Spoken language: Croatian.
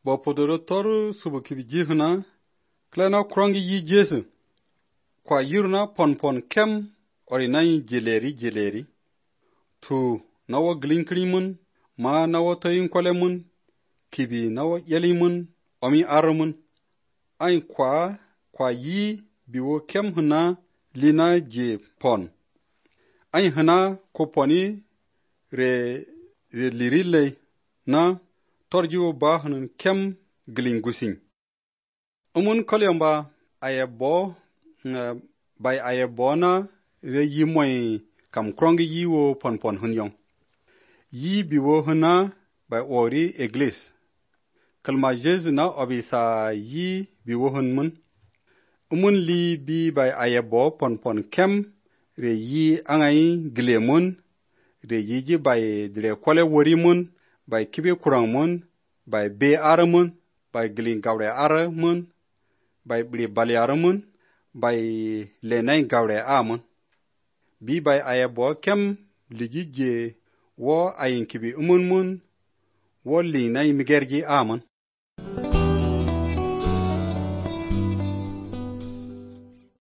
Bo podoro toru subu kibi jihuna, klena krongi yi jesu. Kwa yurna pon kem, orinai jeleri. Tu nawa glinkrimun, ma nawa tayin kolemun, kibi nawa yelimun, omi aramun. Ain kwa yi biwo kem huna lina je pon. Ain huna ko poni re lirile na torjiwo ba hunun kem glingusin. Kolyamba ayebo bay ayebo na re yi moy kam krongi yi wo pon hunyong. Yi biwo huna bay ori eglis. Kalma Jesu na obisa yi biwo hun mun. Li bi bay ayebo pon kem re yi angai gilemun, re yi ji bay dire kwale wori mun, bay kibe kurang mun, bay be aramun, bay gilin gawre aramun, bay bli bali aramun, bay lenay gawre amun. Bi bay ayebo kem liji je wo ayin kibi mun, wo linay migerji amun.